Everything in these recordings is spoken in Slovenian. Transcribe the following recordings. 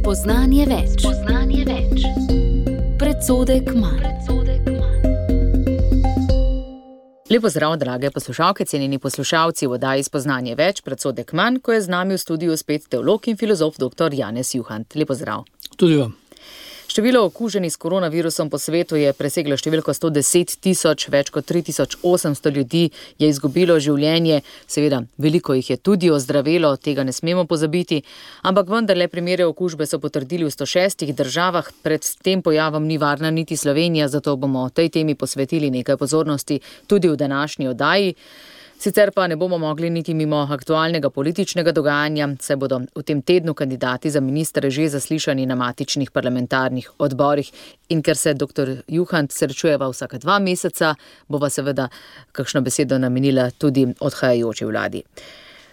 Spoznanje več. Predsodek manj. Lep pozdrav, drage poslušalke, cenjeni poslušalci v oddaji Spoznanje več, predsodek manj, ko je z nami v studiu spet teolog in filozof dr. Janez Juhant. Lep pozdrav. Tudi vam. Število okuženih s koronavirusom po svetu je preseglo številko 110 tisoč, več kot 3800 ljudi je izgubilo življenje. Seveda, veliko jih je tudi ozdravelo, tega ne smemo pozabiti, ampak vendarle primere okužbe so potrdili v 106 državah. Pred tem pojavom ni varna niti Slovenija, zato bomo tej temi posvetili nekaj pozornosti tudi v današnji oddaji. Sicer pa ne bomo mogli niti mimo aktualnega političnega dogajanja, saj bodo v tem tednu kandidati za ministre že zaslišani na matičnih parlamentarnih odborih. In ker se dr. Juhant srečujeva vsaka 2 meseca, bova seveda kakšno besedo namenila tudi odhajajoči vladi.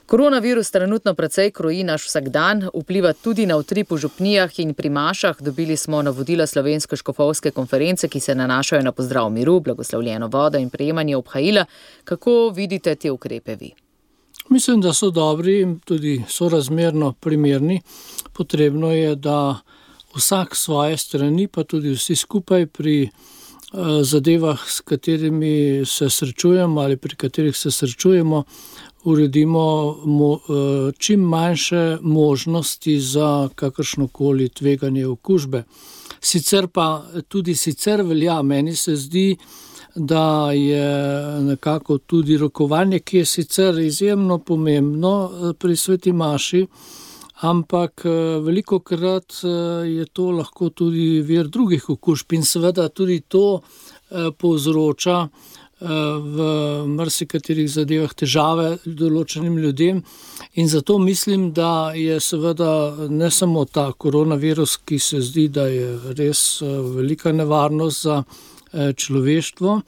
Koronavirus trenutno precej kroji naš vsakdan, vpliva tudi na utrip v župnijah in pri mašah. Dobili smo navodila Slovenske škofovske konference, ki se nanašajo na pozdrav miru, blagoslovljeno vodo in prejemanje obhajila. Kako vidite te ukrepe vi? Mislim, da so dobri in tudi sorazmerno primerni. Potrebno je, da vsak svoje strani, pa tudi vsi skupaj pri zadevah, s katerimi se srečujemo ali pri katerih se srečujemo, uredimo čim manjše možnosti za kakršnokoli tveganje okužbe. Sicer pa tudi velja, meni se zdi, da je nekako tudi rokovanje, ki je sicer izjemno pomembno pri sveti maši, ampak velikokrat je to lahko tudi vir drugih okužb in seveda tudi to povzroča v marsikaterih zadevah težave določenim ljudem in zato mislim, da je seveda ne samo ta koronavirus, ki se zdi, da je res velika nevarnost za človeštvo,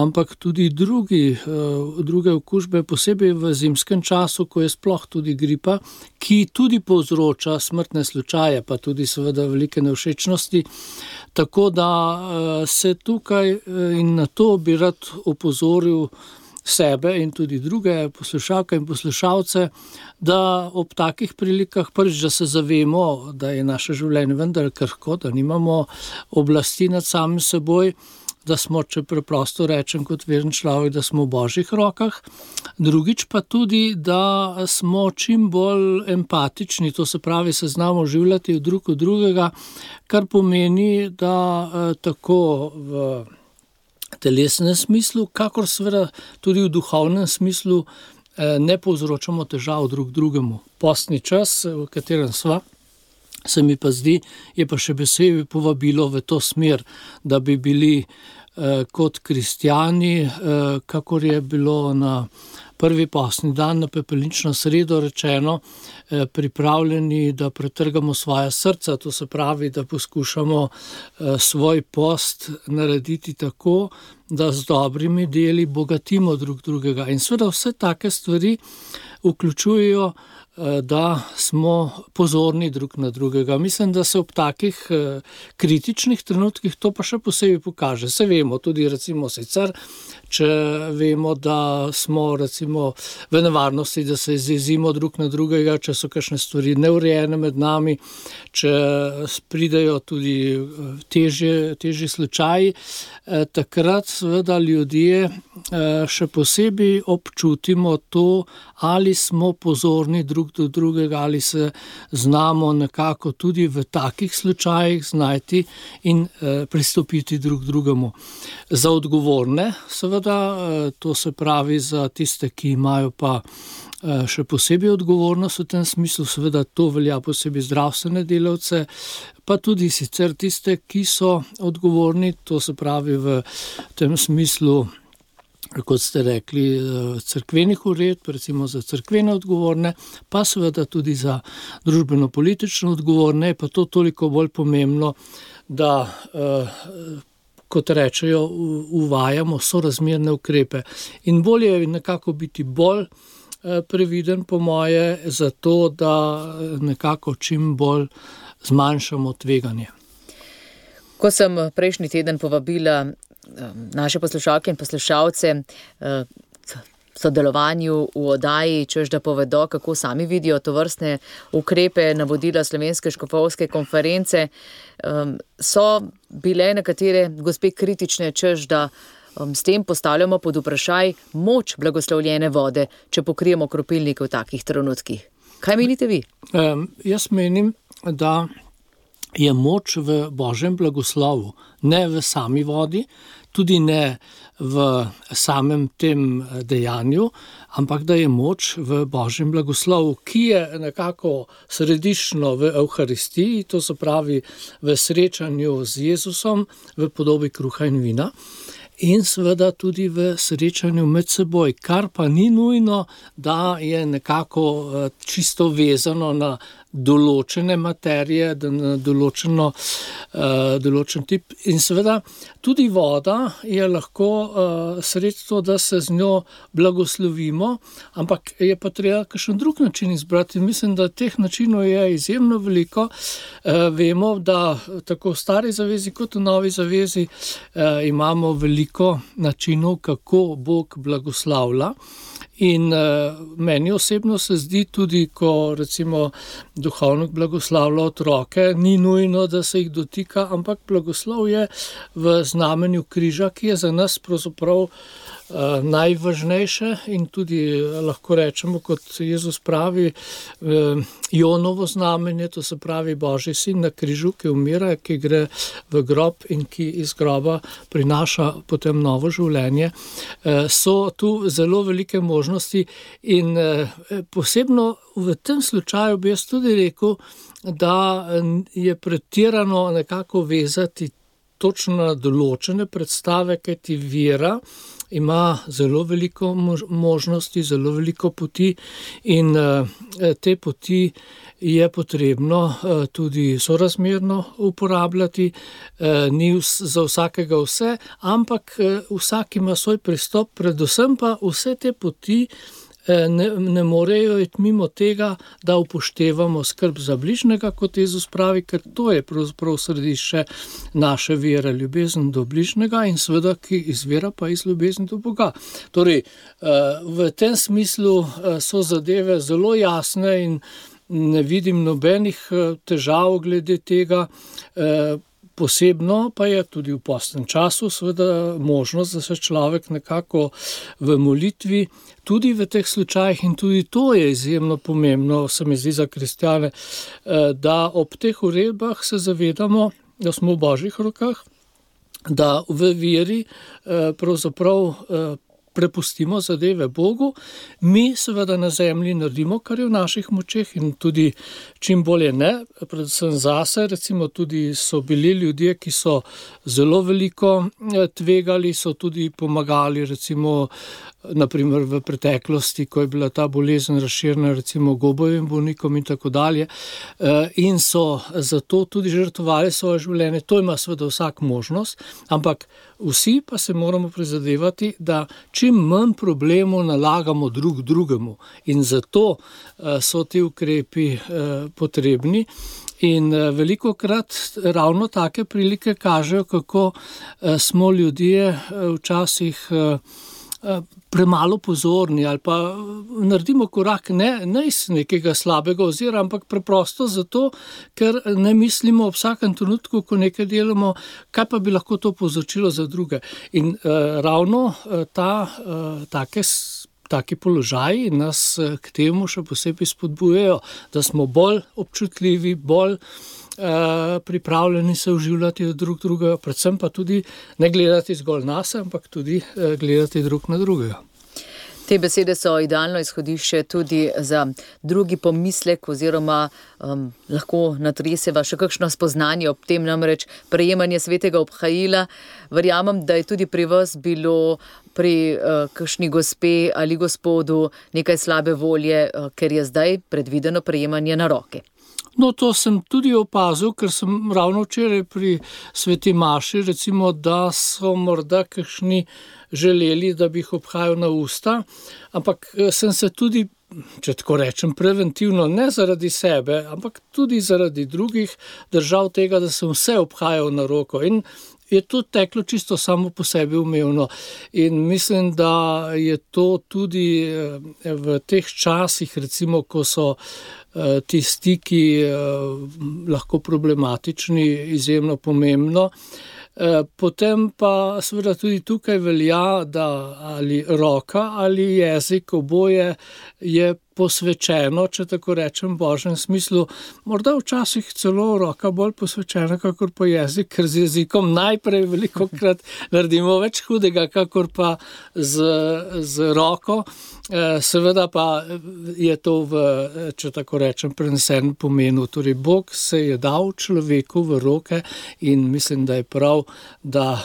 ampak tudi druge okužbe, posebej v zimskem času, ko je sploh tudi gripa, ki tudi povzroča smrtne slučaje, pa tudi seveda velike nevšečnosti. Tako da se tukaj in na to bi rad opozoril sebe in tudi druge poslušalke in poslušalce, da ob takih prilikah prvič, da se zavemo, da je naše življenje vendar krhko, da nimamo oblasti nad samim seboj, da smo, če preprosto rečem kot veren človek, da smo v Božjih rokah. Drugič pa tudi, da smo čim bolj empatični, to se pravi, se znamo življati drug od drugega, kar pomeni, da tako v telesnem smislu, kakor seveda tudi v duhovnem smislu ne povzročamo težav drug drugemu. Postni čas, v katerem sva, se mi pa zdi, je pa še posebej povabilo v to smer, da bi bili kot kristjani, kakor je bilo na prvi postni dan, na pepelnično sredo rečeno, pripravljeni, da pretrgamo svoja srca, to se pravi, da poskušamo svoj post narediti tako, da z dobrimi deli bogatimo drug drugega. In seveda vse take stvari vključujejo, da smo pozorni drug na drugega. Mislim, da se ob takih kritičnih trenutkih to pa še posebej pokaže. Se vemo tudi recimo sicer, če vemo, da smo recimo v nevarnosti, da se izjezimo drug na drugega, če so kakšne stvari neurejene med nami, če pridejo tudi težji slučaji, takrat seveda ljudje še posebej občutimo to, ali smo pozorni drug do drugega, ali se znamo nekako tudi v takih slučajih znajti in pristopiti drug drugemu. Za odgovorne, seveda, to se pravi za tiste, ki imajo pa še posebej odgovornost v tem smislu, seveda to velja posebej zdravstvene delavce, pa tudi sicer tiste, ki so odgovorni, to se pravi v tem smislu, kot ste rekli, cerkvenih uredb, recimo za cerkvene odgovorne, pa seveda tudi za družbeno-politično odgovorne, pa to toliko bolj pomembno, da, kot rečejo, uvajamo sorazmerne ukrepe. In bolje je nekako biti bolj previden, po moje, zato da nekako čim bolj zmanjšamo tveganje. Ko sem prejšnji teden povabila naše poslušalke in poslušalce sodelovanju v oddaji, češ da povedo, kako sami vidijo to vrstne ukrepe, navodila Slovenske škofovske konference. So bile nekatere gospe kritične, češ da s tem postavljamo pod vprašaj moč blagoslovljene vode, če pokrijemo kropilnike v takih trenutkih. Kaj menite vi? Jaz menim, da je moč v Božjem blagoslovu, ne v sami vodi, tudi ne v samem tem dejanju, ampak da je moč v Božjem blagoslovu, ki je nekako središčno v Evharistiji, to se pravi v srečanju z Jezusom v podobi kruha in vina. In seveda tudi v srečanju med seboj, kar pa ni nujno, da je nekako čisto vezano na določene materije, na določen tip. In seveda tudi voda je lahko sredstvo, da se z njo blagoslovimo, ampak je pa treba kakšen drug način izbrati. Mislim, da teh načinov je izjemno veliko. Vemo, da tako v stari zavezi kot v novi zavezi imamo veliko načinov, kako Bog blagoslavlja. In meni osebno se zdi tudi, ko recimo duhovnik blagoslavlja otroke, ni nujno, da se jih dotika, ampak blagoslov je v znamenju križa, ki je za nas pravzaprav najvažnejše in tudi lahko rečemo, kot Jezus pravi, Jonovo znamenje, to se pravi Božji sin na križu, ki umira, ki gre v grob in ki iz groba prinaša potem novo življenje. So tu zelo velike možnosti in posebno v tem slučaju bi jaz tudi rekel, da je pretirano nekako vezati točno na določene predstave, kajti vera ima zelo veliko možnosti, zelo veliko poti in te poti je potrebno tudi sorazmerno uporabljati. Ni za vsakega vse, ampak vsak ima svoj pristop, predvsem pa vse te poti ne morejo iti mimo tega, da upoštevamo skrb za bližnjega, kot Jezus pravi, ker to je pravzaprav središče naše vere, ljubezen do bližnjega in seveda, ki izvira pa iz ljubezni do Boga. Torej, v tem smislu so zadeve zelo jasne in ne vidim nobenih težav glede tega. Posebno pa je tudi v postnem času seveda možnost, da se človek nekako v molitvi, tudi v teh slučajih, in tudi to je izjemno pomembno, se mi zdi za kristjane, da ob teh uredbah se zavedamo, da smo v Božjih rokah, da v veri pravzaprav prepustimo zadeve Bogu, mi seveda na zemlji naredimo, kar je v naših močeh in tudi čim bolje ne, predvsem zase, recimo tudi so bili ljudje, ki so zelo veliko tvegali, so tudi pomagali, recimo naprimer v preteklosti, ko je bila ta bolezen razširjena, recimo gobovim bolnikom in tako dalje, in so zato tudi žrtvovali svoje življenje. To ima seveda vsak možnost, ampak vsi pa se moramo prizadevati, da čim manj problemov nalagamo drug drugemu in zato so ti ukrepi potrebni. In velikokrat ravno take prilike kažejo, kako smo ljudje včasih premalo pozorni ali pa naredimo korak ne iz nekega slabega ozira, ampak preprosto zato, ker ne mislimo ob vsakem trenutku, ko nekaj delamo, kaj pa bi lahko to povzročilo za druge. In ravno taki položaji nas k temu še posebej spodbujajo, da smo bolj občutljivi, bolj pripravljeni se vživljati drug drugega, predvsem pa tudi ne gledati zgolj nase, ampak tudi gledati drug na drugega. Te besede so idealno izhodišče tudi za drugi pomislek oziroma lahko natreseva še kakšno spoznanje ob tem, namreč prejemanje svetega obhajila. Verjamem, da je tudi pri vas bilo pri kakšni gospe ali gospodu nekaj slabe volje, ker je zdaj predvideno prejemanje na roke. No, to sem tudi opazil, ker sem ravno včeraj pri sveti maši, recimo, da so morda kakšni želeli, da bi jih obhajal na usta, ampak sem se tudi, če tako rečem, preventivno, ne zaradi sebe, ampak tudi zaradi drugih držal tega, da sem vse obhajal na roko. In je to teklo čisto samo po sebi umevno. In mislim, da je to tudi v teh časih, recimo, ko so ti stiki lahko problematični, izjemno pomembno. Potem pa seveda tudi tukaj velja, da ali roka ali jezik, oboje je posvečeno, če tako rečem, v božjem smislu. Morda včasih celo roka bolj posvečena, kakor pa jezik, ker z jezikom najprej velikokrat naredimo več hudega, kakor pa z roko. Seveda pa je to če tako rečem, prenesen pomenu. Torej, Bog se je dal človeku v roke in mislim, da je prav, da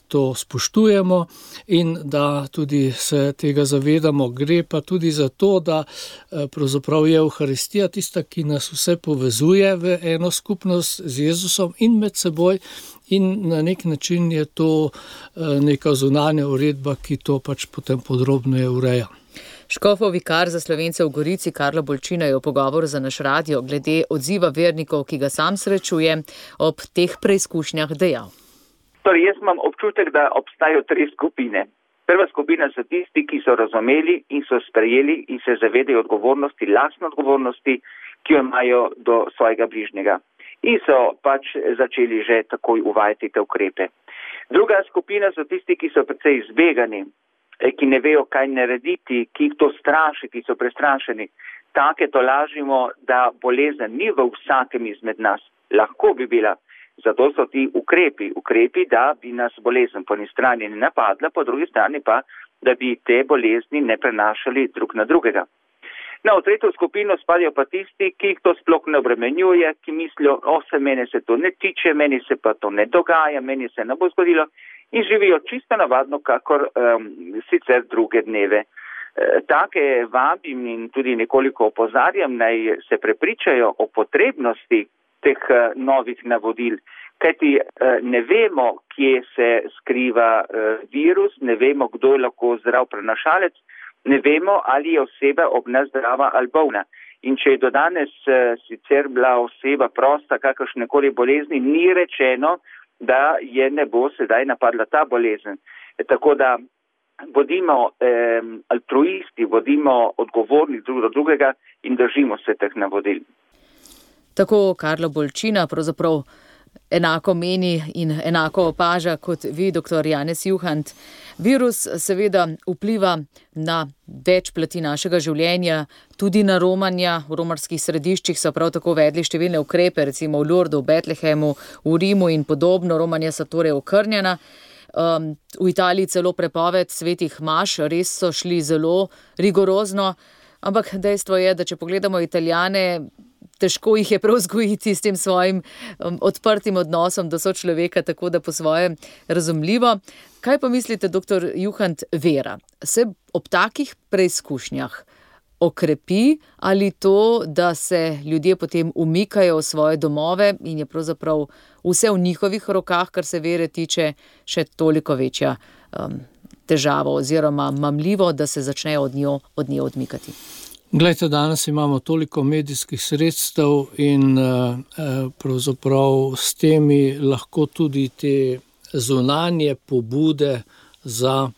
to spoštujemo in da tudi se tega zavedamo. Gre pa tudi za to, da pravzaprav je Evharistija tista, ki nas vse povezuje v eno skupnost z Jezusom in med seboj, in na nek način je to neka zunanja uredba, ki to pač potem podrobneje ureja. Škofov vikar za Slovence v Gorici Karlo Bolčina je v pogovoru za naš radio glede odziva vernikov, ki ga sam srečuje, ob teh preizkušnjah dejal. Torej, jaz imam občutek, da obstajajo 3 skupine. Prva skupina so tisti, ki so razumeli in so sprejeli in se zavedajo odgovornosti, lastne odgovornosti, ki jo imajo do svojega bližnjega. In so pač začeli že takoj uvajati te ukrepe. Druga skupina so tisti, ki so precej izbegani, ki ne vejo, kaj narediti, ki jih to straši, ki so prestrašeni. Take tolažimo, da bolezen ni v vsakem izmed nas. Lahko bi bila. Zato so ti ukrepi, da bi nas bolezen po eni strani ne napadla, po drugi strani pa, da bi te bolezni ne prenašali drug na drugega. No, v tretjo skupino spadajo pa tisti, ki jih to sploh ne obremenjuje, ki mislijo, mene se to ne tiče, meni se pa to ne dogaja, meni se ne bo zgodilo in živijo čisto navadno, kakor sicer druge dneve. Take vabim in tudi nekoliko opozarjam, naj se prepričajo o potrebnosti teh novih navodil, kajti ne vemo, kje se skriva virus, ne vemo, kdo je lahko zdrav prenašalec, ne vemo, ali je oseba ob nas zdrava ali bolna. In če je do danes sicer bila oseba prosta kakršnekoli bolezni, ni rečeno, da je ne bo sedaj napadla ta bolezen. Tako da bodimo altruisti, bodimo odgovorni drug do drugega in držimo se teh navodil. Tako Karlo Bolčina pravzaprav enako meni in enako opaža kot vi, dr. Janez Juhant. Virus seveda vpliva na več plati našega življenja, tudi na romanja. V romarskih središčih so prav tako vedli številne ukrepe, recimo v Lurdu, v Betlehemu, v Rimu in podobno. Romanja so torej okrnjena. V Italiji celo prepoved svetih maš, res so šli zelo rigorozno, ampak dejstvo je, da če pogledamo Italijane, težko jih je prav vzgojiti s tem svojim odprtim odnosom do sočloveka, tako da po svoje razumljivo. Kaj pa mislite, dr. Juhant, vera se ob takih preizkušnjah okrepi ali to, da se ljudje potem umikajo v svoje domove in je pravzaprav vse v njihovih rokah, kar se vere tiče, še toliko večja težava oziroma mamljivo, da se začnejo od nje odmikati? Glejte, danes imamo toliko medijskih sredstev in pravzaprav s temi lahko tudi te zunanje pobude za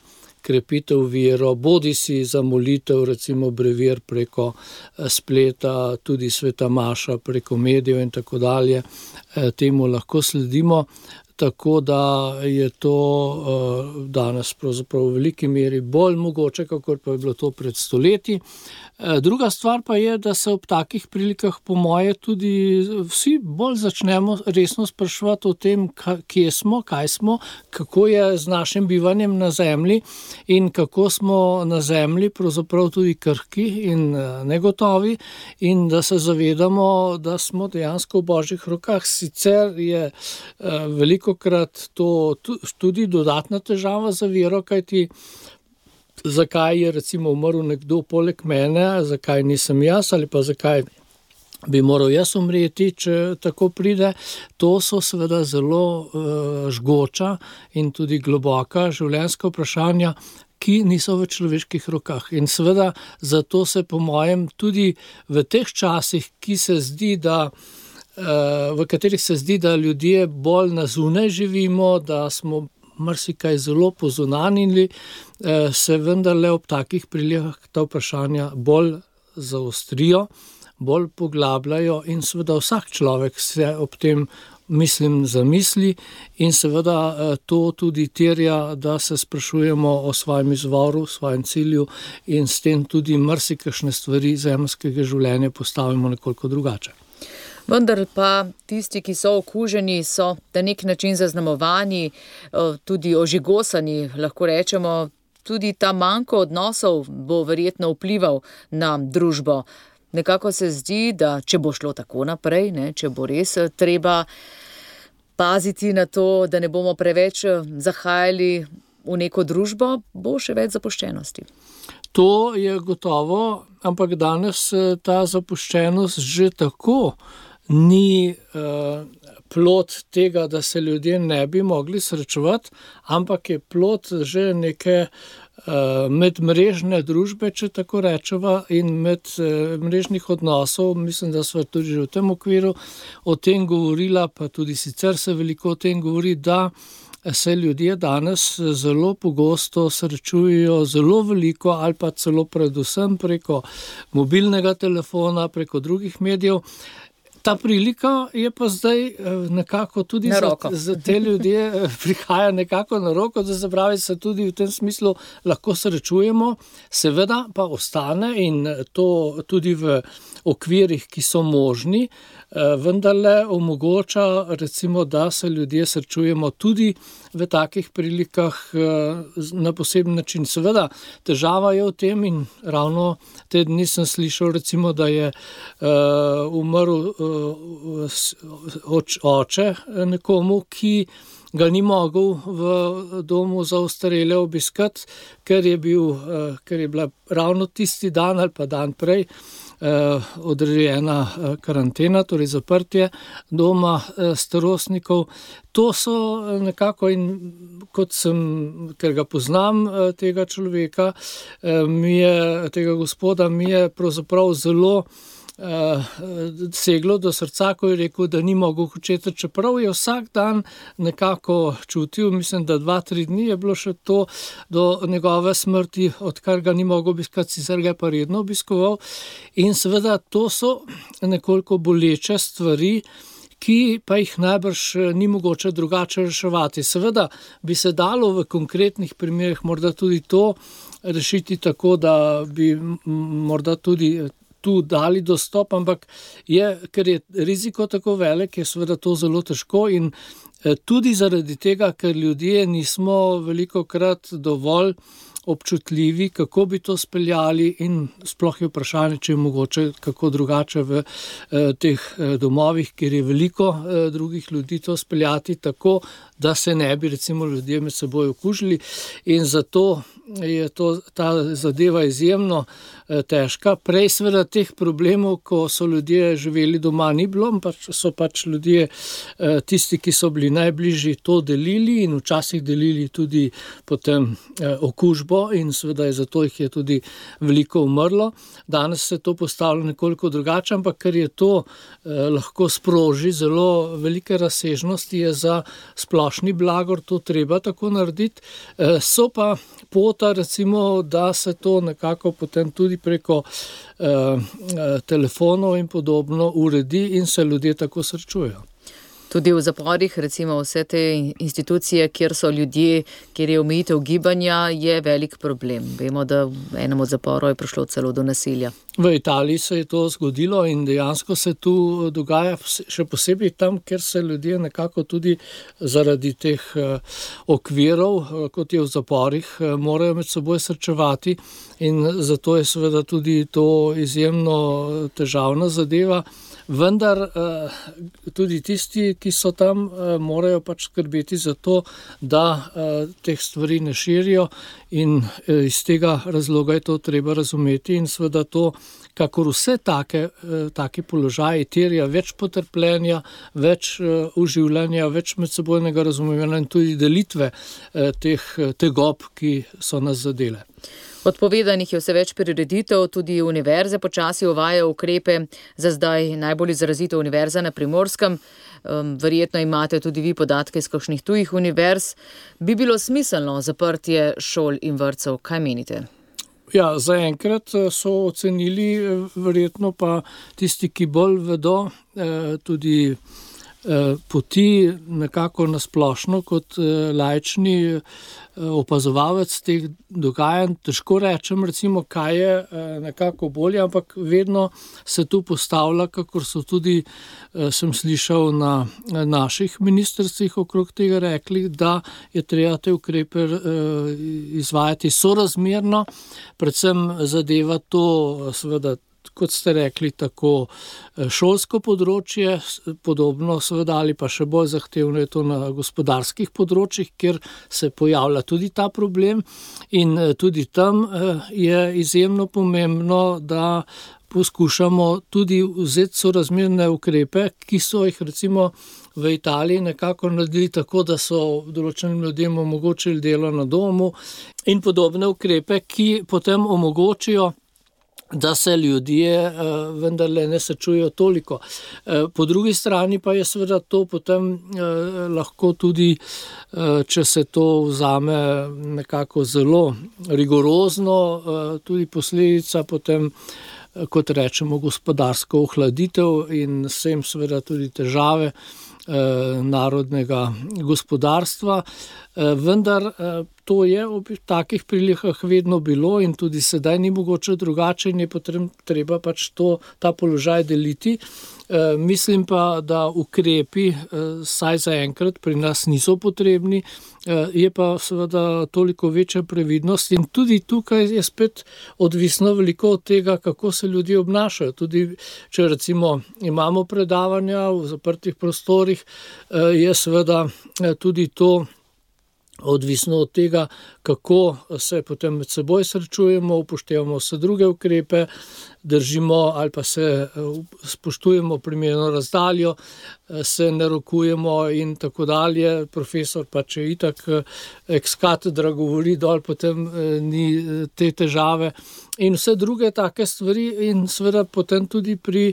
krepitev vero, bodisi za molitev, recimo brevir preko spleta, tudi sveta maša preko medijev in tako dalje, temu lahko sledimo. Tako da je to danes pravzaprav v veliki meri bolj mogoče, kakor pa je bilo to pred stoletji. Druga stvar pa je, da se ob takih prilikah po moje tudi vsi bolj začnemo resno spraševati o tem, kje smo, kaj smo, kako je z našim bivanjem na zemlji in kako smo na zemlji pravzaprav tudi krhki in negotovi in da se zavedamo, da smo dejansko v božjih rokah. Sicer je velikokrat to tudi dodatna težava za vero, kajti zakaj je recimo umrl nekdo poleg mene, zakaj nisem jaz ali pa zakaj bi moral jaz umreti, če tako pride. To so seveda zelo žgoča in tudi globoka življenjska vprašanja, ki niso v človeških rokah. In seveda zato se po mojem tudi v teh časih, ki se zdi, da v katerih se zdi, da ljudje bolj na zunaj živimo, da smo marsikaj zelo pozunanili, se vendarle ob takih prilikah ta vprašanja bolj zaostrijo, bolj poglabljajo in seveda vsak človek se ob tem zamisli in seveda to tudi terja, da se sprašujemo o svojem izvoru, svojem cilju in s tem tudi marsikakšne stvari zemeljskega življenja postavimo nekoliko drugače. Vendar pa tisti, ki so okuženi, so na nek način zaznamovani, tudi ožigosani, lahko rečemo, tudi ta manko odnosov bo verjetno vplival na družbo. Nekako se zdi, da če bo šlo tako naprej, če bo res treba paziti na to, da ne bomo preveč zahajali v neko družbo, bo še več zapuščenosti. To je gotovo, ampak danes ta zapuščenost že tako ni plod tega, da se ljudje ne bi mogli srečevati, ampak je plod že neke medmrežne družbe, če tako rečeva, in medmrežnih odnosov. Mislim, da sva tudi že v tem okviru o tem govorila, pa tudi sicer se veliko o tem govori, da se ljudje danes zelo pogosto srečujejo zelo veliko ali pa celo predvsem preko mobilnega telefona, preko drugih medijev. Ta prilika je pa zdaj nekako tudi za te ljudje prihaja nekako na roko, da se pravi, se tudi v tem smislu lahko srečujemo, seveda pa ostane in to tudi v okvirih, ki so možni, vendarle omogoča recimo, da se ljudje srečujemo tudi v takih prilikah na poseben način. Seveda, težava je v tem in ravno te dni sem slišal recimo, da je umrl oče nekomu, ki ga ni mogel v domu za ostarele obiskati, ker je bila ravno tisti dan ali pa dan prej odrejena karantena, torej zaprtje doma starostnikov. To so nekako, in ker ga poznam, tega človeka, tega gospoda, mi je pravzaprav zelo seglo do srca, ko je rekel, da ni mogel hočeti, čeprav je vsak dan nekako čutil, mislim, da 2-3 dni je bilo še to do njegove smrti, odkar ga ni mogel obiskati, sicer ga je pa redno obiskoval. In seveda to so nekoliko boleče stvari, ki pa jih najbrž ni mogoče drugače reševati. Seveda bi se dalo v konkretnih primerih morda tudi to rešiti tako, da bi morda tudi tu dali dostop, ampak ker je riziko tako velik, je seveda to zelo težko in tudi zaradi tega, ker ljudje nismo velikokrat dovolj občutljivi, kako bi to speljali in sploh je vprašanje, če je mogoče kako drugače v teh domovih, kjer je veliko drugih ljudi, to speljati tako, da se ne bi recimo ljudje med seboj okužili in zato je ta zadeva izjemno težka. Prej seveda teh problemov, ko so ljudje živeli doma, ni bilo, so pač ljudje tisti, ki so bili najbližji, to delili in včasih delili tudi potem okužbo in seveda je zato jih je tudi veliko umrlo. Danes se to postavlja nekoliko drugače, ampak ker je to lahko sproži zelo velike razsežnosti, je za splošni blagor to treba tako narediti. So pa pota recimo, da se to nekako potem tudi preko telefonov in podobno uredi in se ljudje tako srečujejo. Tudi v zaporih, recimo vse te institucije, kjer so ljudje, kjer je omejitev gibanja, je velik problem. Vemo, da v enem od zaporov je prišlo celo do nasilja. V Italiji se je to zgodilo in dejansko se tu dogaja še posebej tam, kjer se ljudje nekako tudi zaradi teh okvirov, kot je v zaporih, morajo med seboj srečevati in zato je seveda tudi to izjemno težavna zadeva. Vendar tudi tisti, ki so tam, morajo pač skrbeti za to, da teh stvari ne širijo in iz tega razloga je to treba razumeti in seveda to, kakor vse take položaje terja več potrpljenja, več uživljanja, več medsebojnega razumevanja in tudi delitve teh tegob, ki so nas zadele. Odpovedanih je vse več prireditev, tudi univerze počasi uvajajo ukrepe, za zdaj najbolj izrazito univerza na Primorskem. Verjetno imate tudi vi podatke iz kakšnih tujih univerz. Bi bilo smiselno zaprtje šol in vrtcev, kaj menite? Ja, zaenkrat so ocenili, verjetno pa tisti, ki bolj vedo, tudi poti nekako nasplošno kot laični opazovalec teh dogajanj. Težko rečem, recimo, kaj je nekako bolje, ampak vedno se tu postavlja, kakor so tudi, sem slišal, na naših ministrstvih okrog tega rekli, da je treba te ukrepe izvajati sorazmerno, predvsem zadeva to, seveda, kot ste rekli, tako šolsko področje, podobno seveda ali pa še bolj zahtevno je to na gospodarskih področjih, kjer se pojavlja tudi ta problem in tudi tam je izjemno pomembno, da poskušamo tudi vzeti sorazmerne ukrepe, ki so jih recimo v Italiji nekako naredili tako, da so določenim ljudem omogočili delo na domu in podobne ukrepe, ki potem omogočijo, da se ljudje vendarle ne srečujejo toliko. Po drugi strani pa je seveda to potem lahko tudi, če se to vzame nekako zelo rigorozno, tudi posledica potem, kot rečemo, gospodarsko ohladitev in s tem seveda tudi težave narodnega gospodarstva. Vendar to je ob takih prilikah vedno bilo in tudi sedaj ni mogoče drugače in je treba pač ta položaj deliti. Mislim pa, da ukrepi saj zaenkrat pri nas niso potrebni, je pa seveda toliko večja previdnost in tudi tukaj je spet odvisno veliko od tega, kako se ljudje obnašajo. Tudi če recimo imamo predavanja v zaprtih prostorih, je seveda tudi to odvisno od tega, kako se potem med seboj srečujemo, upoštevamo vse druge ukrepe, držimo ali pa se spoštujemo primerno razdaljo, se ne rokujemo in tako dalje. Profesor pa če itak ex cathedra govori dol, potem ni te težave. In vse druge take stvari in seveda potem tudi pri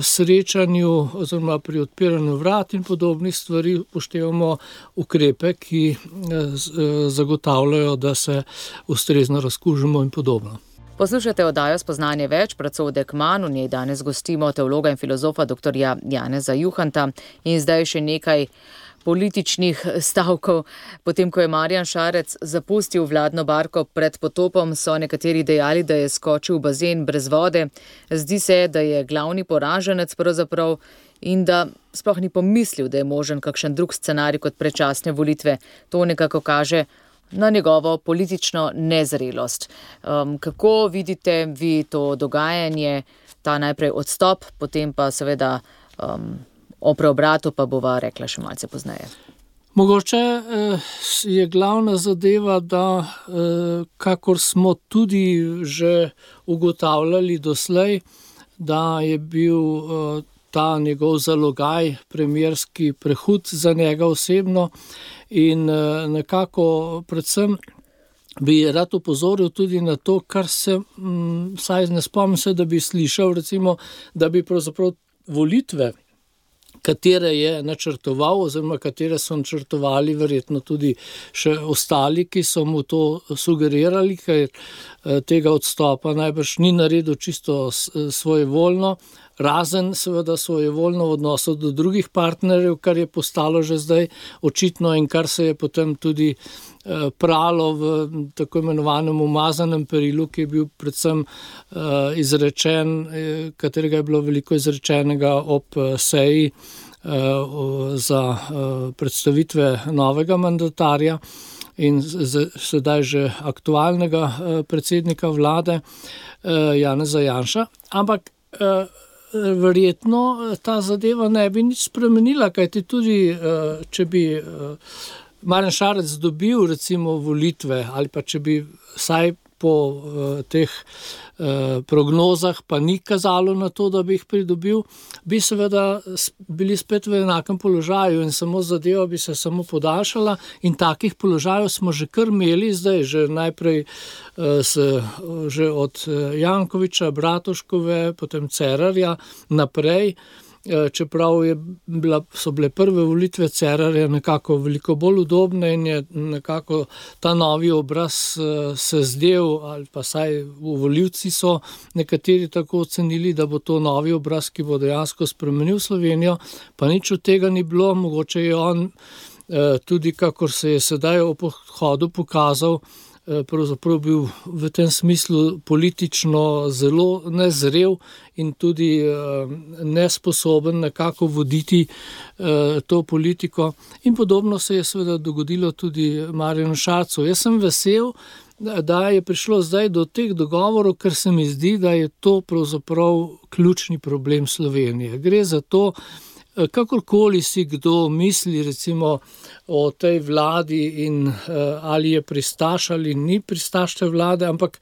srečanju oziroma pri odpiranju vrat in podobnih stvari upoštevamo ukrepe, ki zagotavljajo, da se ustrezno razkužimo in podobno. Poslušate oddajo Spoznanje več, Pracodek manj, v njej danes gostimo teologa in filozofa dr. Janeza Juhanta in zdaj še nekaj političnih stavkov. Potem, ko je Marjan Šarec zapustil vladno barko pred potopom, so nekateri dejali, da je skočil v bazen brez vode. Zdi se, da je glavni poraženec pravzaprav in da sploh ni pomislil, da je možen kakšen drug scenarij kot predčasne volitve. To nekako kaže na njegovo politično nezrelost. Kako vidite vi to dogajanje, ta najprej odstop, potem pa seveda o preobratu pa bova rekla še malce pozneje. Mogoče je glavna zadeva, da kakor smo tudi že ugotavljali doslej, da je bil ta njegov zalogaj premierski prehud za njega osebno in nekako predvsem bi rad opozoril tudi na to, kar se, saj ne spomnim se, da bi slišal, recimo, da bi pravzaprav volitve, katere je načrtoval oziroma katere so načrtovali verjetno tudi še ostali, ki so mu to sugerirali, ker tega odstopa najbrž ni naredil čisto svojevoljno, razen seveda svojevoljno v odnosu do drugih partnerjev, kar je postalo že zdaj očitno in kar se je potem tudi pralo v tako imenovanem umazanem perilu, ki je bil predvsem izrečen, katerega je bilo veliko izrečenega ob seji za predstavitve novega mandatarja in sedaj že aktualnega predsednika vlade Janeza Janša. Ampak verjetno ta zadeva ne bi nič spremenila, kajti tudi če bi Marjan Šarec dobil recimo volitve ali pa če bi vsaj po teh prognozah pa ni kazalo na to, da bi jih pridobil, bi seveda bili spet v enakem položaju in samo zadeva bi se samo podaljšala in takih položajev smo že kar imeli zdaj, že najprej že od Jankovića, Bratuškove, potem Cerarja naprej, čeprav so bile prve volitve Cerarja nekako veliko bolj udobne in je nekako ta novi obraz se zdel, ali pa saj volivci so nekateri tako ocenili, da bo to novi obraz, ki bo dejansko spremenil Slovenijo, pa nič od tega ni bilo, mogoče je on tudi, kakor se je sedaj o pohodu pokazal, pravzaprav bil v tem smislu politično zelo nezrel in tudi nesposoben nekako voditi to politiko. In podobno se je seveda dogodilo tudi Marjanu Šarcu. Jaz sem vesel, da je prišlo zdaj do teh dogovorov, ker se mi zdi, da je to pravzaprav ključni problem Slovenije. Gre za to, kakorkoli si kdo misli recimo o tej vladi in ali je pristaš ali ni pristaš te vlade, ampak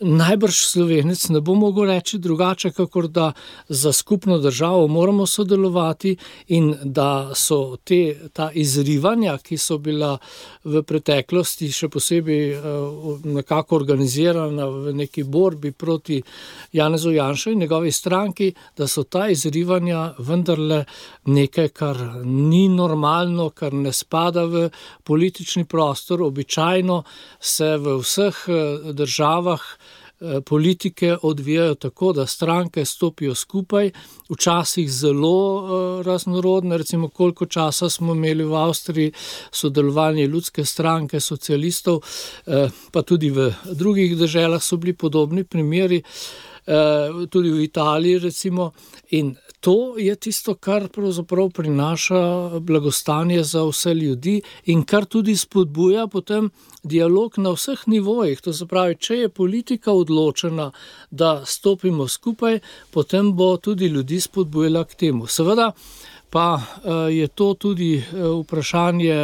najbrž Slovenec ne bo mogel reči drugače, kakor da za skupno državo moramo sodelovati in da so ta izrivanja, ki so bila v preteklosti še posebej nekako organizirana v neki borbi proti Janezu Janši in njegovi stranki, da so ta izrivanja vendarle nekaj, kar ni normalno, kar ne spada v politični prostor. Običajno se v vseh državah politike odvijajo tako, da stranke stopijo skupaj, včasih zelo raznorodne, recimo koliko časa smo imeli v Avstriji sodelovanje ljudske stranke, socialistov, pa tudi v drugih deželah so bili podobni primeri, tudi v Italiji recimo, in to je tisto, kar pravzaprav prinaša blagostanje za vse ljudi in kar tudi spodbuja potem dialog na vseh nivojih. To se pravi, če je politika odločena, da stopimo skupaj, potem bo tudi ljudi spodbujala k temu. Seveda pa je to tudi vprašanje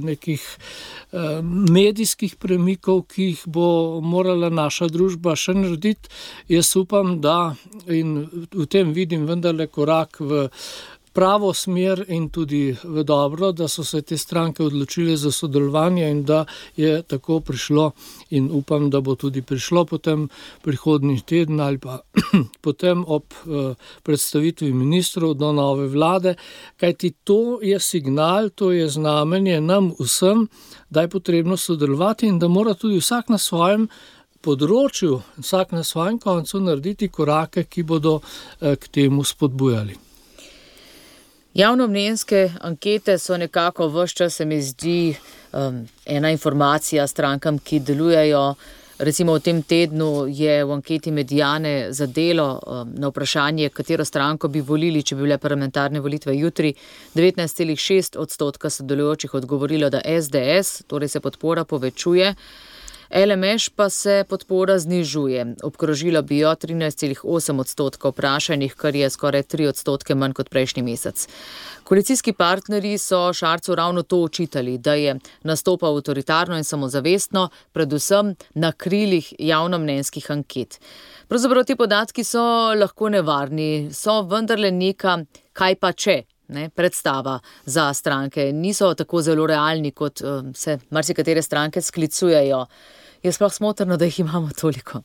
nekih medijskih premikov, ki jih bo morala naša družba še narediti. Jaz upam, da in v tem vidim vendarle korak v pravo smer in tudi v dobro, da so se te stranke odločile za sodelovanje in da je tako prišlo in upam, da bo tudi prišlo potem prihodnji teden ali pa potem ob predstavitvi ministrov do nove vlade, kajti to je signal, to je znamenje nam vsem, da je potrebno sodelovati in da mora tudi vsak na svojem področju, vsak na svojem koncu narediti korake, ki bodo k temu spodbujali. Javnomnenjske ankete so nekako ves čas, se mi zdi, ena informacija strankam, ki delujejo. Recimo v tem tednu je v anketi Mediane za Delo na vprašanje, katero stranko bi volili, če bi bile parlamentarne volitve jutri, 19,6% sodelujočih odgovorilo, da SDS, torej se podpora povečuje. LMŠ pa se podpora znižuje. Obkrožilo bi jo 13,8% vprašanih, kar je skoraj 3% manj kot prejšnji mesec. Koalicijski partnerji so Šarcu ravno to očitali, da je nastopal avtoritarno in samozavestno, predvsem na krilih javnomnenjskih anket. Pravzaprav ti podatki so lahko nevarni, so vendarle neka kaj pa če. Predstava za stranke. Niso tako zelo realni, kot se marsikatere stranke sklicujejo. Je sploh smotrno, da jih imamo toliko?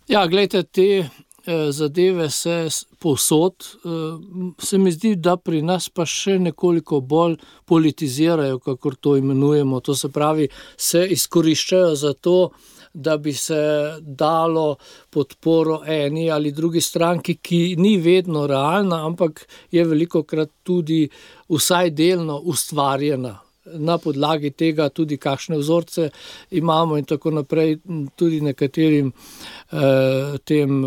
Ja, glejte, te zadeve se povsod. Se mi zdi, da pri nas pa še nekoliko bolj politizirajo, kakor to imenujemo. To se pravi, se izkoriščajo za to, da bi se dalo podporo eni ali drugi stranki, ki ni vedno realna, ampak je velikokrat tudi vsaj delno ustvarjena. Na podlagi tega tudi kakšne vzorce imamo in tako naprej, tudi nekaterim tem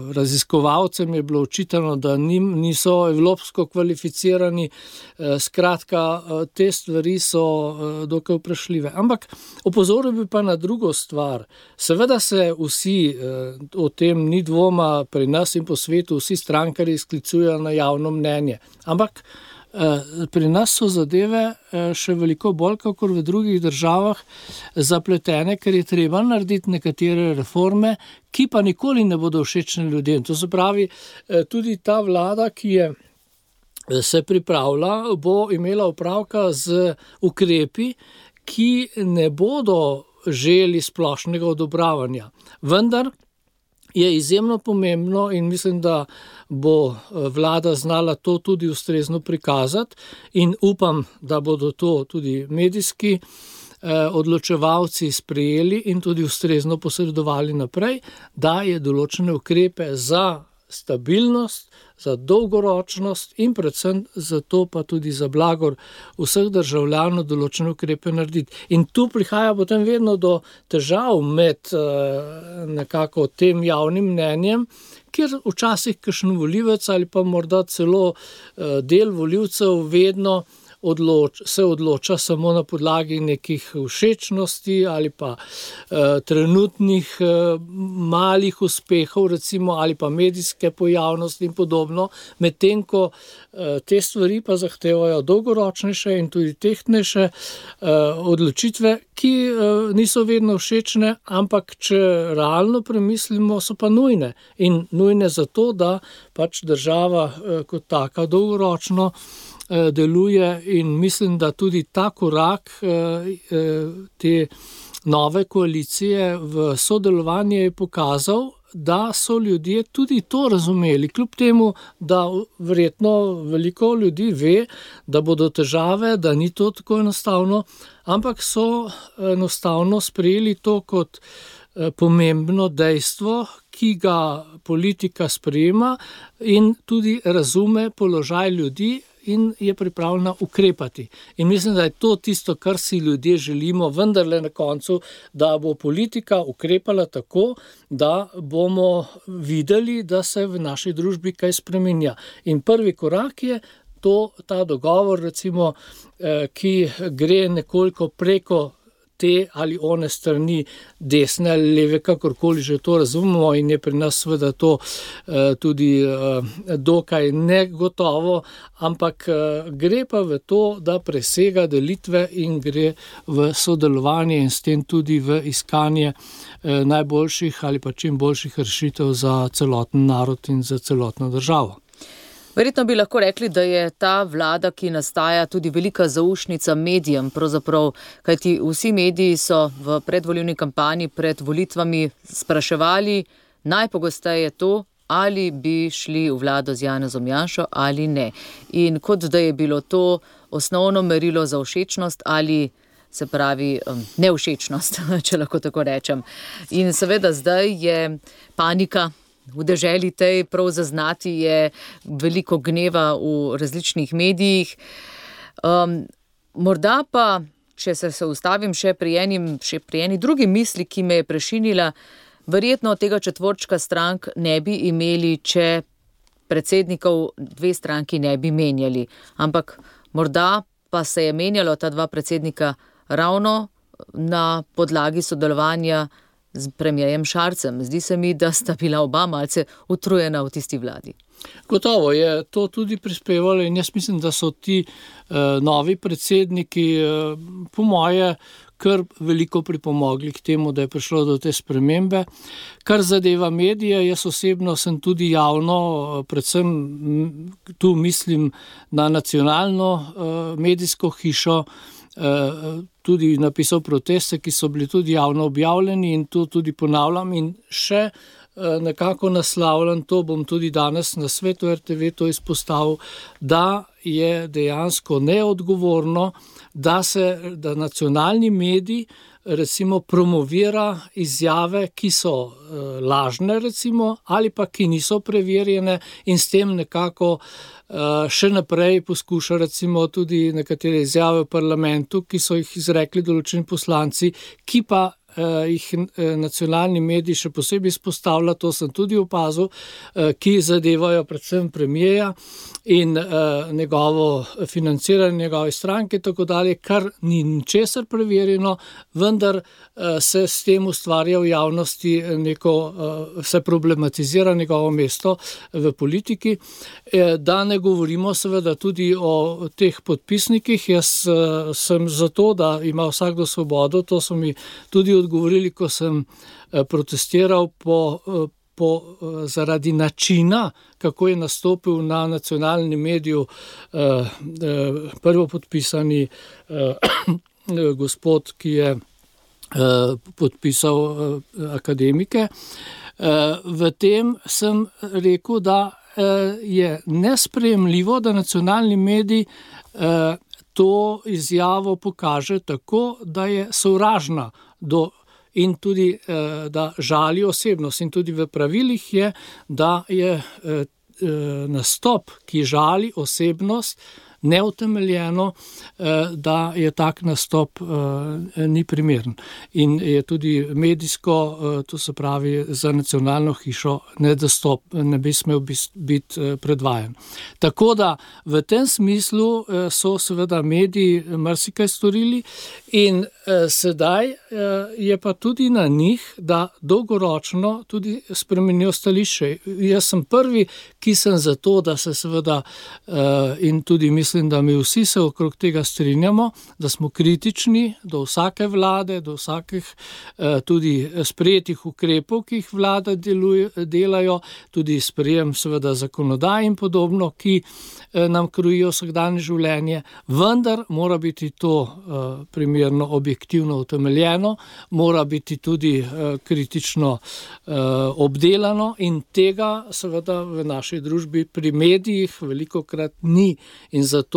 raziskovalcem je bilo očitano, da niso evropsko kvalificirani. Skratka, te stvari so dokaj vprašljive. Ampak opozoril bi pa na drugo stvar. Seveda se vsi, o tem ni dvoma pri nas in po svetu, vsi strankarji sklicujejo na javno mnenje. Ampak Pri nas so zadeve še veliko bolj, kakor v drugih državah, zapletene, ker je treba narediti nekatere reforme, ki pa nikoli ne bodo všečne ljudem. To se pravi, tudi ta vlada, ki se pripravlja, bo imela opravka z ukrepi, ki ne bodo želi splošnega odobravanja. Vendar je izjemno pomembno in mislim, da bo vlada znala to tudi ustrezno prikazati in upam, da bodo to tudi medijski odločevalci sprejeli in tudi ustrezno posredovali naprej, da je določene ukrepe za stabilnost, za dolgoročnost in predvsem za to pa tudi za blagor vseh državljanov določene ukrepe narediti. In tu prihaja potem vedno do težav med nekako tem javnim mnenjem, kjer včasih kakšen volivec ali pa morda celo del volivcev vedno se odloča samo na podlagi nekih všečnosti ali pa trenutnih malih uspehov, recimo, ali pa medijske pojavnosti in podobno, medtem ko te stvari pa zahtevajo dolgoročnejše in tudi tehtnejše odločitve, ki niso vedno všečne, ampak če realno premislimo, so pa nujne. In nujne zato, da pač država kot taka dolgoročno deluje in mislim, da tudi ta korak te nove koalicije v sodelovanje je pokazal, da so ljudje tudi to razumeli, kljub temu, da verjetno veliko ljudi ve, da bodo težave, da ni to tako enostavno, ampak so enostavno sprejeli to kot pomembno dejstvo, ki ga politika sprejema in tudi razume položaj ljudi in je pripravljena ukrepati. In mislim, da je to tisto, kar si ljudje želimo, vendarle na koncu, da bo politika ukrepala tako, da bomo videli, da se v naši družbi kaj spreminja. In prvi korak je ta dogovor, recimo, ki gre nekoliko preko te ali one strani, desne ali leve, kakorkoli že to razumemo in je pri nas seveda to tudi dokaj negotovo, ampak gre pa v to, da presega delitve in gre v sodelovanje in s tem tudi v iskanje najboljših ali pa čim boljših rešitev za celoten narod in za celotno državo. Verjetno bi lahko rekli, da je ta vlada, ki nastaja, tudi velika zaušnica medijem, pravzaprav, kajti vsi mediji so v predvolilni kampanji pred volitvami spraševali najpogosteje to, ali bi šli v vlado z Janezom Janšo ali ne. In kot da je bilo to osnovno merilo za všečnost ali se pravi nevšečnost, če lahko tako rečem. In seveda zdaj je panika v deželi tej, prav zaznati je veliko gneva v različnih medijih. Morda pa, če se ustavim še pri eni drugi misli, ki me je prešinila, verjetno tega četvorčka strank ne bi imeli, če predsednikov dve stranki ne bi menjali. Ampak morda pa se je menjalo ta dva predsednika ravno na podlagi sodelovanja z premierjem Šarcem. Zdi se mi, da sta bila oba malce utrujena v tisti vladi. Gotovo je to tudi prispevalo in jaz mislim, da so ti novi predsedniki po moje kar veliko pripomogli k temu, da je prišlo do te spremembe. Kar zadeva medije, jaz osebno sem tudi javno, predvsem tu mislim na nacionalno medijsko hišo, tudi napisal proteste, ki so bili tudi javno objavljeni in to tudi ponavljam in še nekako naslavljam, to bom tudi danes na Svetu RTV to izpostavil, da je dejansko neodgovorno, da nacionalni medij recimo promovira izjave, ki so lažne recimo ali pa ki niso preverjene in s tem nekako še naprej poskuša recimo tudi nekatere izjave v parlamentu, ki so jih izrekli določeni poslanci, ki pa jih nacionalni mediji še posebej izpostavlja, to sem tudi opazil, ki zadevajo predvsem premierja in njegovo financiranje njegove stranke, tako dalje, kar ni ničesar preverjeno, vendar se s tem ustvarja v javnosti se problematizira njegovo mesto v politiki. Da ne govorimo seveda tudi o teh podpisnikih. Jaz sem za to, da ima vsakdo svobodo, to so mi tudi odgovorili, ko sem protestiral zaradi načina, kako je nastopil na nacionalnem mediju prvopodpisani gospod, ki je podpisal akademike. V tem sem rekel, da je nesprejemljivo, da nacionalni medij to izjavo pokaže tako, da je sovražna in tudi, da žali osebnost. In tudi v pravilih je, da je nastop, ki žali osebnost, neutemeljeno, da je tak nastop ni primeren. In je tudi medijsko, to se pravi za nacionalno hišo, ne bi smel biti predvajan. Tako da v tem smislu so seveda mediji marsikaj storili in sedaj je pa tudi na njih, da dolgoročno tudi spremenijo stališče. Jaz sem prvi, ki sem za to, da se seveda in tudi mislim, da mi vsi se okrog tega strinjamo, da smo kritični do vsake vlade, do vsakih tudi sprejetih ukrepov, ki jih vlada delajo, tudi sprejem seveda zakonodaj in podobno, ki nam krojijo vsakdanje življenje, vendar mora biti to primerno objektivno utemeljeno, mora biti tudi kritično obdelano in tega seveda v naši družbi pri medijih velikokrat ni. In zato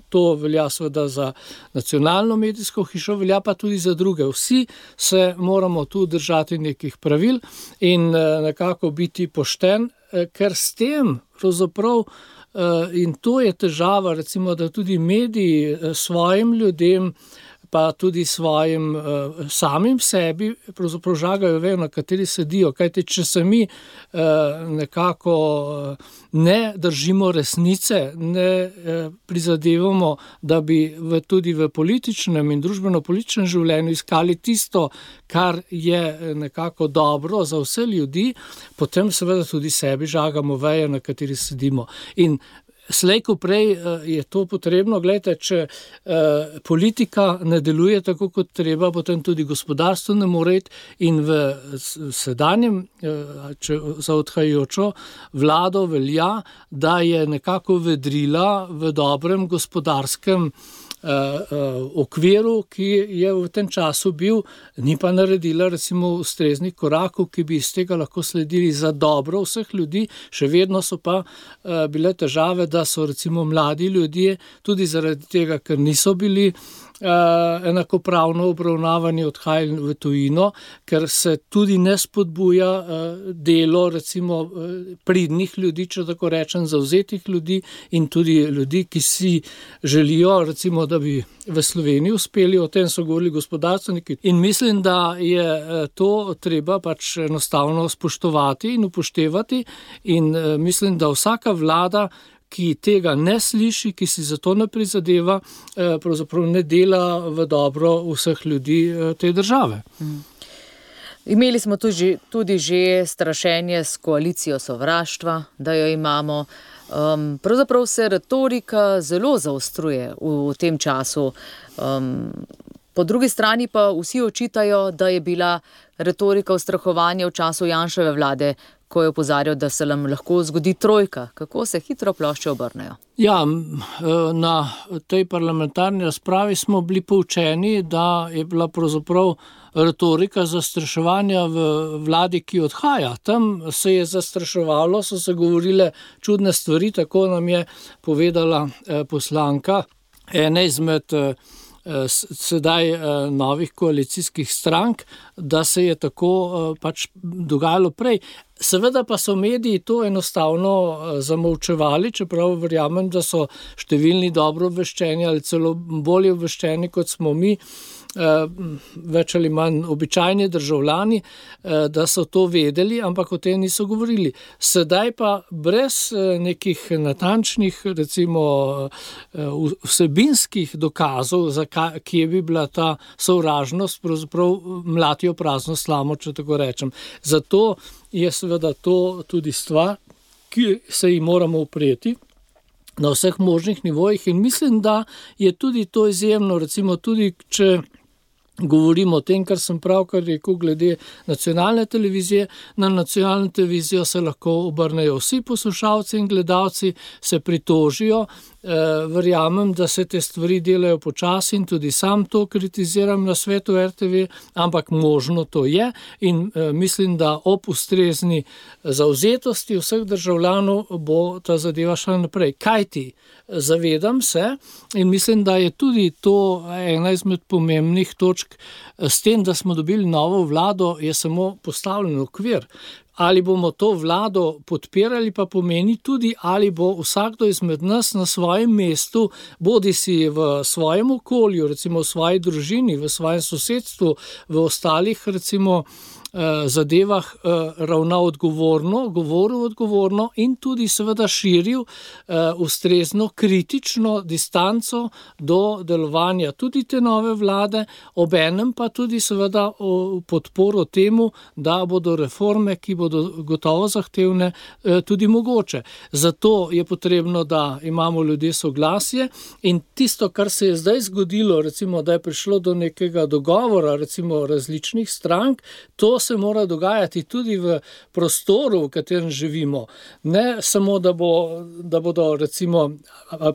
to velja seveda za nacionalno medijsko hišo, velja pa tudi za druge. Vsi se moramo tu držati nekih pravil in nekako biti pošten, ker s tem pravzaprav, in to je težava, recimo, da tudi mediji svojim ljudem pa tudi svojim samim sebi pravzaprav žagajo vejo, na kateri sedijo. Kajti, če se mi nekako ne držimo resnice, ne prizadevamo, da bi tudi v političnem in družbeno-političnem življenju iskali tisto, kar je nekako dobro za vse ljudi, potem seveda tudi sebi žagamo vejo, na kateri sedimo. In slej ko prej je to potrebno. Glejte, če politika ne deluje tako, kot treba, potem tudi gospodarstvo ne more iti in v sedanjem, za odhajajočo vlado velja, da je nekako vedrila v dobrem gospodarskem okviru, ki je v tem času bil, ni pa naredila recimo ustreznih korakov, ki bi iz tega lahko sledili za dobro vseh ljudi. Še vedno so pa bile težave, da so recimo mladi ljudje tudi zaradi tega, ker niso bili enakopravno obravnavani, odhajali v tujino, ker se tudi ne spodbuja delo recimo pridnih ljudi, če tako rečem, zavzetih ljudi in tudi ljudi, ki si želijo recimo, da bi v Sloveniji uspeli, o tem so govorili gospodarstveniki. In mislim, da je to treba pač enostavno spoštovati in upoštevati in mislim, da vsaka vlada, ki tega ne sliši, ki si za to ne prizadeva, pravzaprav ne dela v dobro vseh ljudi te države. Imeli smo tudi že strašenje s koalicijo sovraštva, da jo imamo. Pravzaprav se retorika zelo zaostruje v tem času. Po drugi strani pa vsi očitajo, da je bila retorika ustrahovanja v času Janševe vlade, ko je opozarjal, da se nam lahko zgodi trojka. Kako se hitro plošče obrnejo? Ja, na tej parlamentarni razpravi smo bili poučeni, da je bila pravzaprav retorika zastraševanja v vladi, ki odhaja. Tam se je zastraševalo, so se govorile čudne stvari, tako nam je povedala poslanka ene izmed sedaj novih koalicijskih strank, da se je tako pač dogajalo prej. Seveda pa so mediji to enostavno zamolčevali, čeprav verjamem, da so številni dobro obveščeni ali celo bolje obveščeni, kot smo mi, več ali manj običajni državljani, da so to vedeli, ampak o tem niso govorili. Sedaj pa brez nekih natančnih, recimo vsebinskih dokazov, kje bi bila ta sovražnost, pravzaprav mlatijo prazno slamo, če tako rečem. Zato je seveda to tudi stvar, ki se ji moramo upreti na vseh možnih nivojih in mislim, da je tudi to izjemno, recimo tudi, če govorimo o tem, kar sem pravkar rekel glede nacionalne televizije. Na nacionalno televizijo se lahko obrnejo vsi poslušalci in gledalci, se pritožijo. Verjamem, da se te stvari delajo počasi in tudi sam to kritiziram na svetu RTV, ampak možno to je in mislim, da ob ustrezni zavzetosti vseh državljanov bo ta zadeva šla naprej. Kajti, zavedam se in mislim, da je tudi to ena izmed pomembnih točk. S tem, da smo dobili novo vlado, je samo postavljen okvir. Ali bomo to vlado podpirali, pa pomeni tudi, ali bo vsakdo izmed nas na svojem mestu, bodisi v svojem okolju, recimo v svoji družini, v svojem sosedstvu, v ostalih recimo zadevah ravnal odgovorno, govoril odgovorno in tudi seveda širil ustrezno kritično distanco do delovanja tudi te nove vlade, obenem pa tudi seveda podporo temu, da bodo reforme, ki bodo gotovo zahtevne, tudi mogoče. Zato je potrebno, da imamo ljudje soglasje in tisto, kar se je zdaj zgodilo, recimo, da je prišlo do nekega dogovora, recimo različnih strank, to se mora dogajati tudi v prostoru, v katerem živimo. Ne samo, da bodo recimo,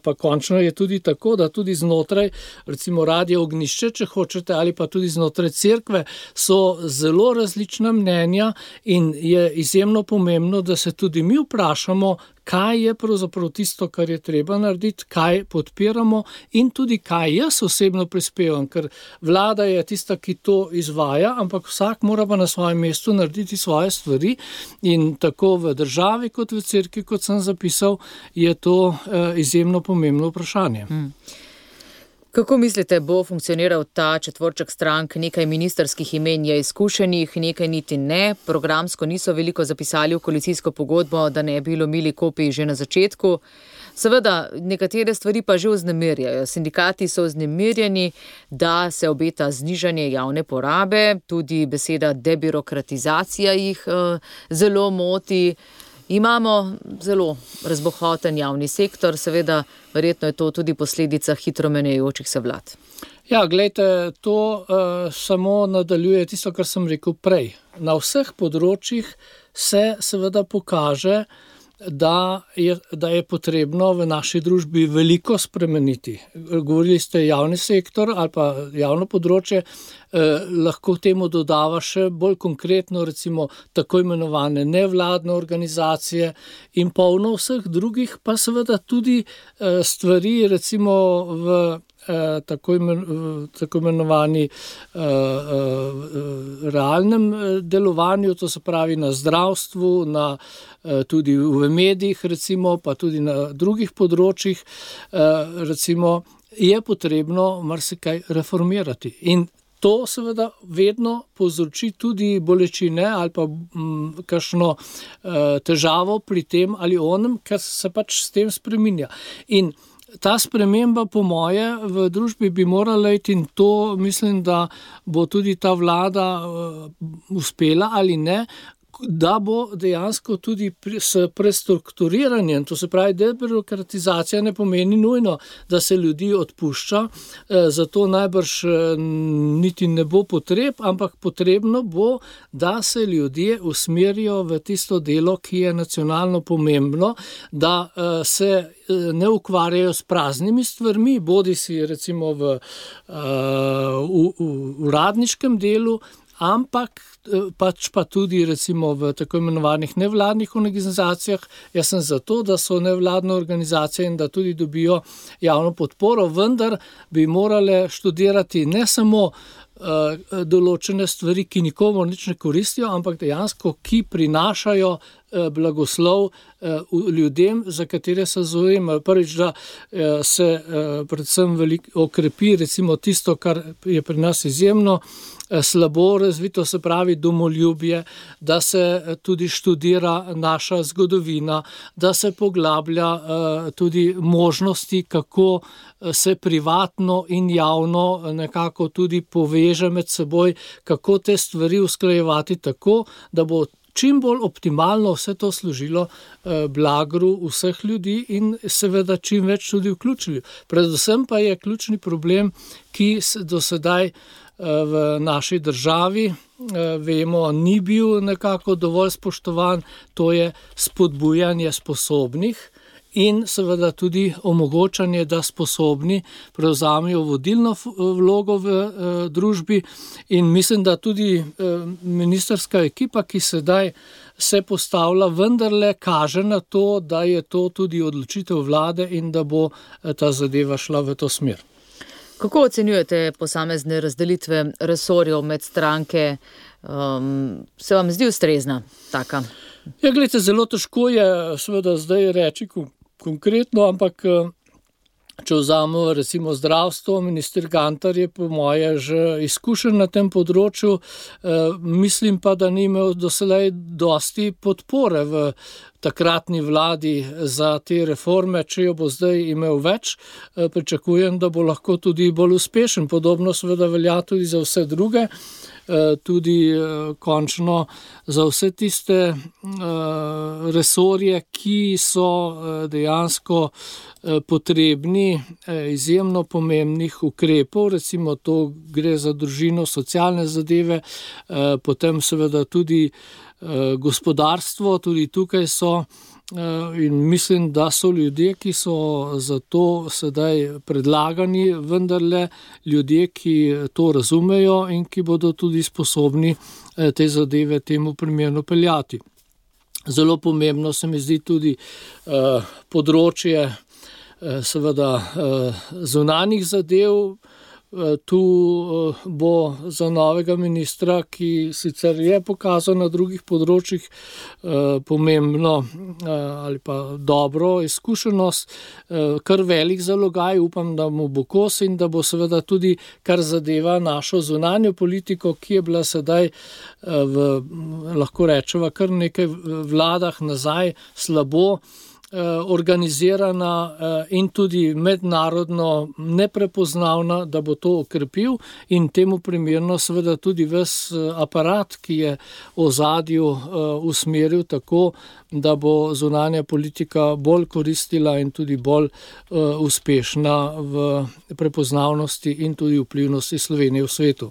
pa končno je tudi tako, da tudi znotraj recimo Radia Ognjišče, če hočete, ali pa tudi znotraj cerkve, so zelo različna mnenja in je izjemno pomembno, da se tudi mi vprašamo, kaj je pravzaprav tisto, kar je treba narediti, kaj podpiramo in tudi kaj jaz osebno prispevam, ker vlada je tista, ki to izvaja, ampak vsak mora pa na svojem mestu narediti svoje stvari in tako v državi kot v cerkvi, kot sem zapisal, je to izjemno pomembno vprašanje. Kako mislite, bo funkcioniral ta četvorček strank? Nekaj ministrskih imen je izkušenih, nekaj niti ne. Programsko niso veliko zapisali v koalicijsko pogodbo, da ne bi lomili kopij že na začetku. Seveda, nekatere stvari pa že vznemirjajo. Sindikati so vznemirjeni, da se obeta znižanje javne porabe, tudi beseda debirokratizacija jih zelo moti. Imamo zelo razbohoten javni sektor, seveda verjetno je to tudi posledica hitro menjajočih se vlad. Ja, glejte, to samo nadaljuje tisto, kar sem rekel prej. Na vseh področjih se seveda pokaže, da je potrebno v naši družbi veliko spremeniti. Govorili ste javni sektor ali pa javno področje, lahko temu dodava še bolj konkretno recimo tako imenovane nevladne organizacije in polno vseh drugih, pa seveda tudi stvari recimo v tako imenovani realnem delovanju, to se pravi na zdravstvu, tudi v medijih recimo, pa tudi na drugih področjih, recimo je potrebno marsikaj reformirati. In to seveda vedno povzroči tudi bolečine ali pa kakšno težavo pri tem ali onem, kar se pač s tem spreminja. In ta sprememba po moje v družbi bi morala iti in to mislim, da bo tudi ta vlada uspela ali ne, da bo dejansko tudi s prestrukturiranjem, to se pravi debirokratizacija ne pomeni nujno, da se ljudi odpušča, zato najbrž niti ne bo potreb, ampak potrebno bo, da se ljudje usmerijo v tisto delo, ki je nacionalno pomembno, da se ne ukvarjajo s praznimi stvarmi, bodisi recimo v uradniškem delu, ampak pač pa tudi recimo v tako imenovanih nevladnih organizacijah. Jaz sem zato, da so nevladne organizacije in da tudi dobijo javno podporo, vendar bi morale študirati ne samo določene stvari, ki nikomu nič ne koristijo, ampak dejansko, ki prinašajo blagoslov ljudem, za katere se zavzemajo. Prvič, da se predvsem okrepi recimo tisto, kar je pri nas izjemno slabo razvito, se pravi domoljubje, da se tudi študira naša zgodovina, da se poglablja tudi možnosti, kako se privatno in javno nekako tudi poveže med seboj, kako te stvari usklajevati tako, da bo čim bolj optimalno vse to služilo blagru vseh ljudi in seveda čim več tudi vključili. Predvsem pa je ključni problem, ki do sedaj v naši državi, vemo, ni bil nekako dovolj spoštovan, to je spodbujanje sposobnih in seveda tudi omogočanje, da sposobni prevzamejo vodilno vlogo v družbi in mislim, da tudi ministrska ekipa, ki sedaj se postavlja, vendarle kaže na to, da je to tudi odločitev vlade in da bo ta zadeva šla v to smer. Kako ocenjujete posamezne razdelitve resorjev med stranke? Se vam zdi ustrezna taka? Ja, gledajte, zelo težko je seveda zdaj reči konkretno, ampak če vzamemo recimo zdravstvo, minister Gantar je po moje že izkušen na tem področju, mislim pa, da ni imel doslej dosti podpore v takratni vladi za te reforme, če jo bo zdaj imel več, pričakujem, da bo lahko tudi bolj uspešen. Podobno seveda velja tudi za vse druge, tudi končno za vse tiste resorje, ki so dejansko potrebni izjemno pomembnih ukrepov, recimo to gre za družino, socialne zadeve, potem seveda tudi gospodarstvo, tudi tukaj so in mislim, da so ljudje, ki so za to sedaj predlagani, vendarle ljudje, ki to razumejo in ki bodo tudi sposobni te zadeve temu primerno peljati. Zelo pomembno se mi zdi tudi področje seveda zunanjih zadev. Tu bo za novega ministra, ki sicer je pokazal na drugih področjih pomembno ali pa dobro izkušenost, kar velik zalogaj, upam, da mu bo kos in da bo seveda tudi, kar zadeva našo zunanjo politiko, ki je bila sedaj lahko rečeva kar nekaj vladah nazaj slabo organizirana in tudi mednarodno neprepoznavna, da bo to okrepil in temu primerno seveda tudi ves aparat, ki je v ozadju usmeril tako, da bo zunanja politika bolj koristila in tudi bolj uspešna v prepoznavnosti in tudi vplivnosti Slovenije v svetu.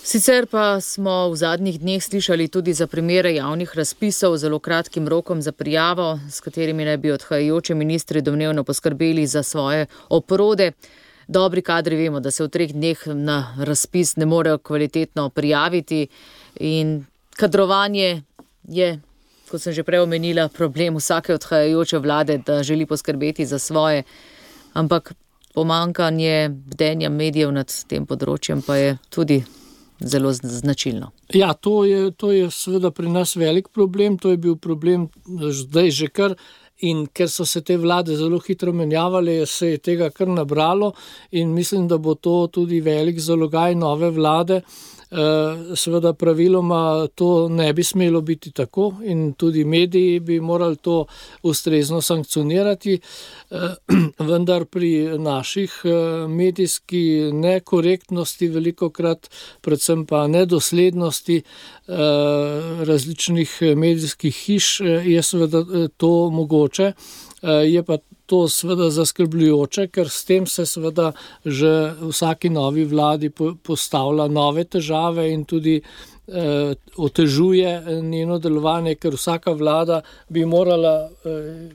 Sicer pa smo v zadnjih dneh slišali tudi za primere javnih razpisov z zelo kratkim rokom za prijavo, s katerimi naj bi odhajajoči ministri domnevno poskrbeli za svoje oprode. Dobri kadri vemo, da se v 3 dneh na razpis ne morejo kvalitetno prijaviti in kadrovanje je, kot sem že prej omenila, problem vsake odhajajoče vlade, da želi poskrbeti za svoje, ampak pomanjkanje bdenja medijev nad tem področjem pa je tudi zelo značilno. Ja, to je seveda pri nas velik problem, to je bil problem zdaj že kar in ker so se te vlade zelo hitro menjavale, se je tega kar nabralo in mislim, da bo to tudi velik zalogaj nove vlade. Seveda praviloma to ne bi smelo biti tako in tudi mediji bi morali to ustrezno sankcionirati, vendar pri naših medijski nekorektnosti velikokrat, predvsem pa nedoslednosti različnih medijskih hiš je seveda to mogoče, je pa to seveda zaskrbljujoče, ker s tem se seveda že vsaki novi vladi postavlja nove težave in tudi otežuje njeno delovanje, ker vsaka vlada bi morala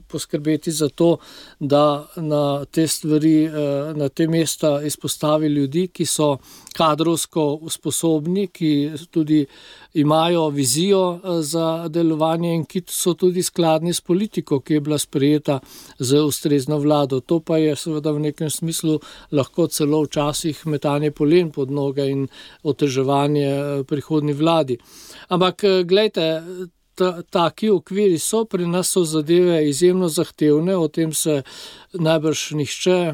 poskrbeti za to, da na te stvari, na te mesta izpostavi ljudi, ki so kadrovsko sposobni, ki tudi imajo vizijo za delovanje in ki so tudi skladni s politiko, ki je bila sprejeta z ustrezno vlado. To pa je seveda v nekem smislu lahko celo včasih metanje polen pod noge in oteževanje prihodnji vladi. Ampak glejte, taki okviri so, pri nas so zadeve izjemno zahtevne, o tem se najbrž nihče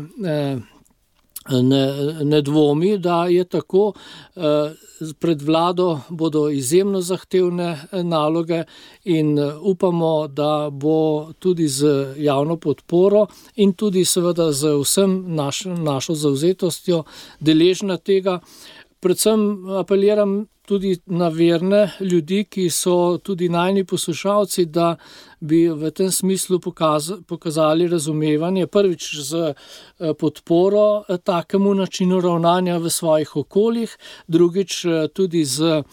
ne dvomi, da je tako. Pred vlado bodo izjemno zahtevne naloge in upamo, da bo tudi z javno podporo in tudi seveda z vsem našo zavzetostjo deležna tega. Predvsem apeliram tudi na verne ljudi, ki so tudi najni poslušalci, da bi v tem smislu pokazali razumevanje, prvič z podporo takemu načinu ravnanja v svojih okoljih, drugič tudi z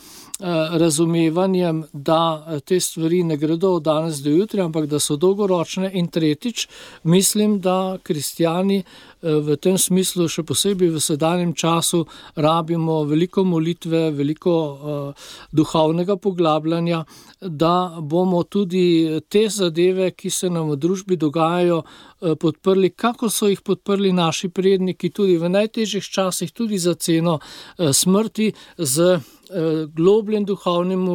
razumevanjem, da te stvari ne gredo od danes do jutri, ampak da so dolgoročne, in tretjič, mislim, da kristjani v tem smislu, še posebej v sedanjem času, rabimo veliko molitve, veliko duhovnega poglabljanja, da bomo tudi te zadeve, ki se nam v družbi dogajajo, podprli, kako so jih podprli naši predniki tudi v najtežjih časih, tudi za ceno smrti, z globljem duhovnim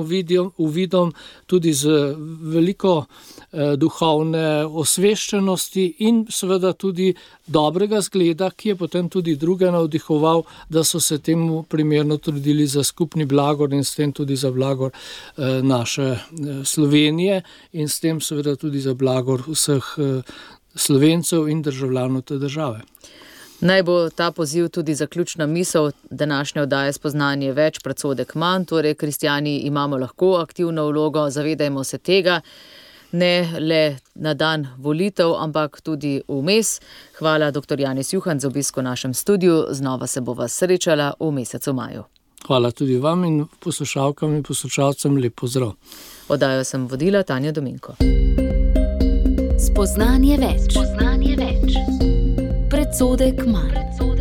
uvidom, tudi z veliko duhovne osveščenosti in seveda tudi dobrega zgleda, ki je potem tudi druge navdihoval, da so se temu primerno trudili za skupni blagor in s tem tudi za blagor naše Slovenije in s tem seveda tudi za blagor vseh Slovencev in državljanov te države. Naj bo ta poziv tudi zaključna misel današnje oddaje Spoznanje več, predsodek manj, torej kristjani imamo lahko aktivno vlogo, zavedajmo se tega, ne le na dan volitev, ampak tudi vmes. Hvala dr. Janez Juhan za obisk v našem studiu, znova se bova srečala v mesecu maju. Hvala tudi vam in poslušalkam in poslušalcem lep pozdrav. Oddajo sem vodila Tanja Dominko. Spoznanje več. Predsodek manj.